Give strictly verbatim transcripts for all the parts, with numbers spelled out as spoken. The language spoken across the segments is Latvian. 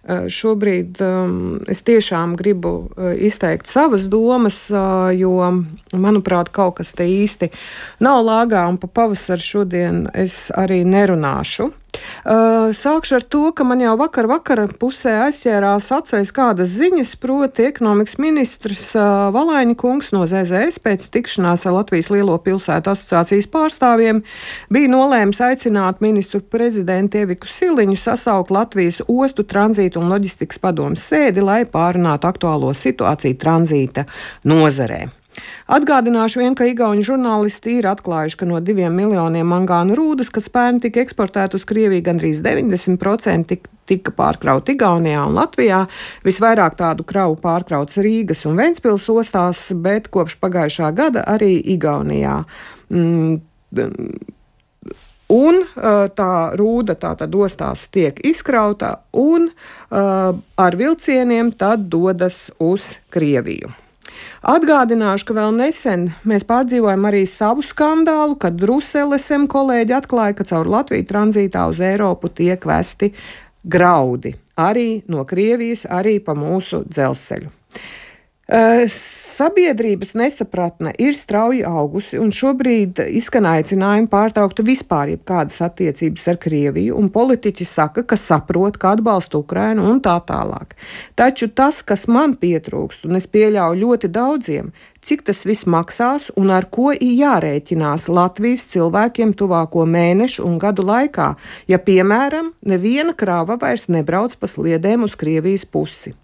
Šobrīd um, es tiešām gribu uh, izteikt savas domas, uh, jo, manuprāt, kaut kas te īsti nav lāgā, un pa pavasaru šodien es arī nerunāšu. Uh, sākšu ar to, ka man jau vakar vakara pusē aizķērās acīs kādas ziņas, proti ekonomikas ministrs uh, Valaiņa kungs no Z Z S pēc tikšanās ar Latvijas Lielo pilsētu asociācijas pārstāvjiem bija nolēmis aicināt ministru prezidentu Eviku Siliņu sasaukt Latvijas ostu tranzītu un loģistikas padomes sēdi, lai pārunātu aktuālo situāciju tranzīta nozarē. Atgādināšu vien, ka igauņu žurnālisti ir atklājuši, ka no diviem miljoniem mangānu rūdas, kas pērn tika eksportēta uz Krieviju, gandrīz deviņdesmit procenti tika pārkrauti Igaunijā un Latvijā. Visvairāk tādu kravu pārkrauts Rīgas un Ventspils ostās, bet kopš pagājušā gada arī Igaunijā. Mm, Un tā rūda tātad ostās tiek izkrauta un uh, ar vilcieniem tad dodas uz Krieviju. Atgādināšu, ka vēl nesen mēs pārdzīvojam arī savu skandālu, kad Druselesem kolēģi atklāja, ka caur Latviju tranzītā uz Eiropu tiek vesti graudi. Arī no Krievijas, arī pa mūsu dzelzceļu. Sabiedrības nesapratne ir strauji augusi, un šobrīd izskan aicinājumi pārtraukt vispār jebkādas attiecības ar Krieviju, un politiķi saka, ka saprot, ka atbalsta Ukrainu un tā tālāk. Taču tas, kas man pietrūkst, un es pieļauju ļoti daudziem, cik tas viss maksās un ar ko ir jārēķinās Latvijas cilvēkiem tuvāko mēnešu un gadu laikā, ja, piemēram, neviena krāva vairs nebrauc pa sliedēm uz Krievijas pusi.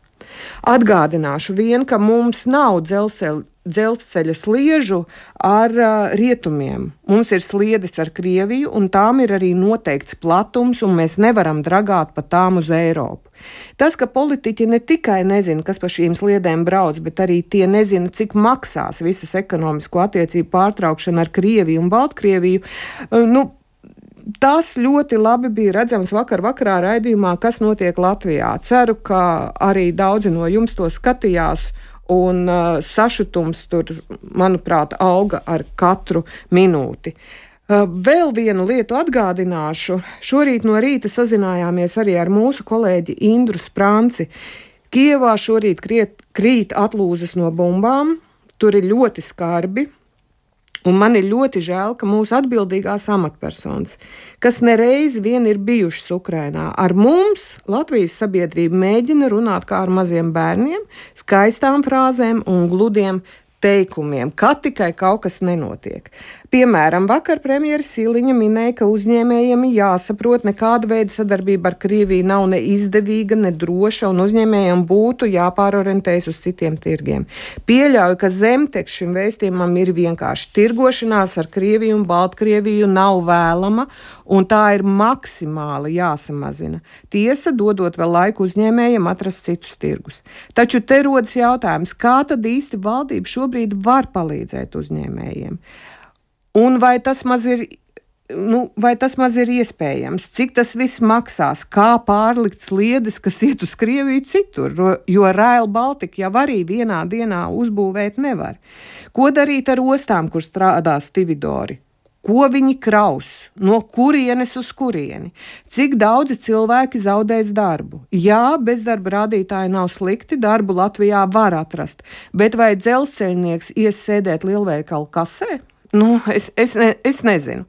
Atgādināšu vien, ka mums nav dzelzceļa, dzelzceļa sliežu ar uh, rietumiem. Mums ir sliedes ar Krieviju, un tām ir arī noteikts platums, un mēs nevaram dragāt pa tām uz Eiropu. Tas, ka politiķi ne tikai nezina, kas pa šīm sliedēm brauc, bet arī tie nezina, cik maksās visas ekonomisko attiecību pārtraukšana ar Krieviju un Baltkrieviju, uh, nu, tas ļoti labi bija redzams vakar vakarā raidījumā, kas notiek Latvijā. Ceru, ka arī daudzi no jums to skatījās, un uh, sašutums tur, manuprāt, auga ar katru minūti. Uh, vēl vienu lietu atgādināšu. Šorīt no rīta sazinājāmies arī ar mūsu kolēģi Indru Sprānci. Kijevā šorīt kriet, krīt atlūzas no bumbām, tur ir ļoti skarbi. Un man ir ļoti žēl, ka mūsu atbildīgās amatpersonas, kas nereiz vien ir bijušas Ukrainā, ar mums Latvijas sabiedrība mēģina runāt kā ar maziem bērniem, skaistām frāzēm un gludiem teikumiem, kad tikai kaut kas nenotiek. Piemēram, vakar premjera Siliņa minēja, ka uzņēmējiem jāsaprot, nekāda veida sadarbība ar Krieviju nav ne izdevīga, ne droša, un uzņēmējiem būtu jāpārorientējas uz citiem tirgiem. Pieļauju, ka zemteksts šim vēstījumam ir vienkārši tirgošanās ar Krieviju un Baltkrieviju nav vēlama, un tā ir maksimāli jāsamazina. Tiesa, dodot vēl laiku uzņēmējiem atrast citus tirgus. Taču te rodas jautājums, kā tad īsti valdība šobrīd var palīdzēt uzņēmējiem? Un vai tas maz ir, nu, vai tas maz ir iespējams? Cik tas viss maksās? Kā pārlikt sliedes, kas iet uz Krieviju citur? Jo Rail Baltica jau arī vienā dienā uzbūvēt nevar. Ko darīt ar ostām, kur strādā stividori? Ko viņi kraus? No kurienes uz kurieni? Cik daudzi cilvēki zaudēs darbu? Jā, bezdarba rādītāji nav slikti, darbu Latvijā var atrast, bet vai dzelzceļnieks ies sēdēt lielveikalu kasē? Nu, es, es, ne, es nezinu.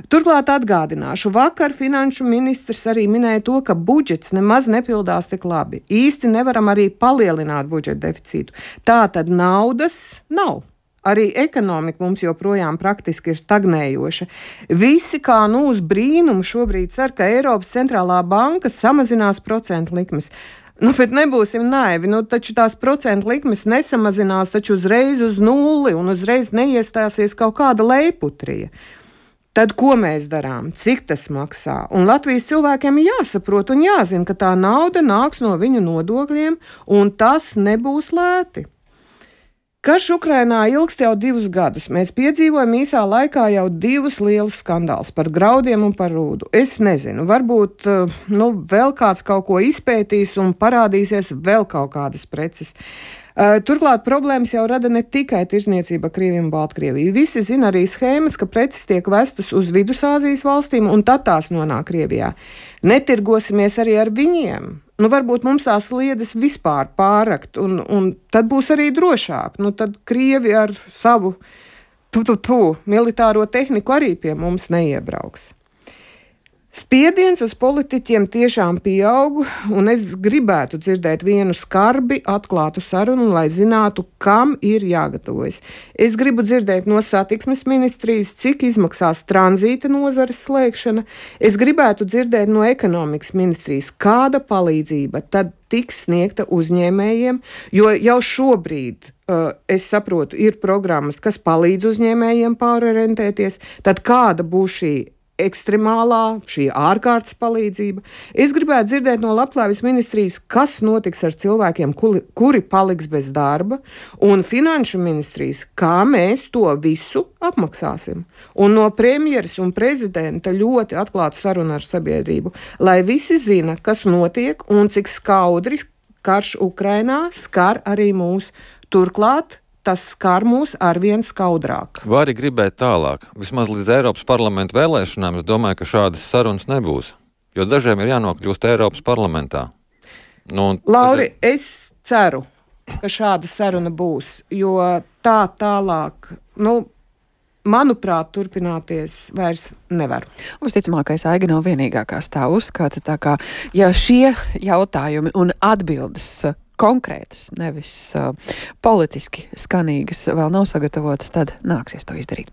Turklāt atgādināšu, vakar finanšu ministrs arī minēja to, ka budžets nemaz nepildās tik labi. Īsti nevaram arī palielināt budžeta deficītu. Tā tad naudas nav. Arī ekonomika mums joprojām praktiski ir stagnējoša. Visi kā nu uz brīnumu šobrīd cer, ka Eiropas centrālā banka samazinās procentu likmes. Nu, bet nebūsim naivi, nu, taču tās procentu likmes nesamazinās taču uzreiz uz nulli un uzreiz neiestāsies kaut kāda lejputrija. Tad ko mēs darām? Cik tas maksā? Un Latvijas cilvēkiem jāsaprot un jāzina, ka tā nauda nāks no viņu nodokļiem, un tas nebūs lēti. Karš Ukrainā ilgst jau divus gadus. Mēs piedzīvojam īsā laikā jau divus lielus skandālus par graudiem un par rūdu. Es nezinu, varbūt nu, vēl kāds kaut ko izpētīs un parādīsies vēl kaut kādas preces. Turklāt problēmas jau rada ne tikai tirzniecība Krieviju un Baltkrieviju. Visi zina arī schēmas, ka preces tiek vestas uz Vidusāzijas valstīm un tad tās nonāk Krievijā. Netirgosimies arī ar viņiem. Nu, varbūt mums tās sliedes vispār pārrakt, un, un tad būs arī drošāk. Nu, tad Krievi ar savu tu, tu, tu, militāro tehniku arī pie mums neiebrauks. Spiediens uz politiķiem tiešām pieaug, un es gribētu dzirdēt vienu skarbi, atklātu sarunu, lai zinātu, kam ir jāgatavojas. Es gribu dzirdēt no satiksmes ministrijas, cik izmaksās tranzīta nozares slēgšana. Es gribētu dzirdēt no ekonomikas ministrijas, kāda palīdzība tad tiks sniegta uzņēmējiem, jo jau šobrīd, uh, es saprotu, ir programmas, kas palīdz uzņēmējiem pārorientēties, tad kāda būs šī ekstremālā, šī ārkārtas palīdzība. Es gribētu dzirdēt no Labklājības ministrijas, kas notiks ar cilvēkiem, kuri, kuri paliks bez darba, un Finanšu ministrijas, kā mēs to visu apmaksāsim. Un no premjeras un prezidenta ļoti atklātu sarunu ar sabiedrību, lai visi zina, kas notiek un cik skaudri karš Ukrainā skar arī mūs. Turklāt tas skar mūs arvien skaudrāk. Vari gribēt tālāk. Vismaz līdz Eiropas parlamenta vēlēšanām es domāju, ka šādas sarunas nebūs. Jo dažiem ir jānokļūst Eiropas parlamentā. Nu, Lauri, dažiem... es ceru, ka šāda saruna būs, jo tā tālāk, nu, manuprāt, turpināties vairs nevar. Visticamākais, Aiga nav vienīgā, kas tā uzskata. Tā kā, ja šie jautājumi un atbildes konkrētas, nevis uh, politiski skanīgas vēl nav sagatavotas, tad nāksies to izdarīt.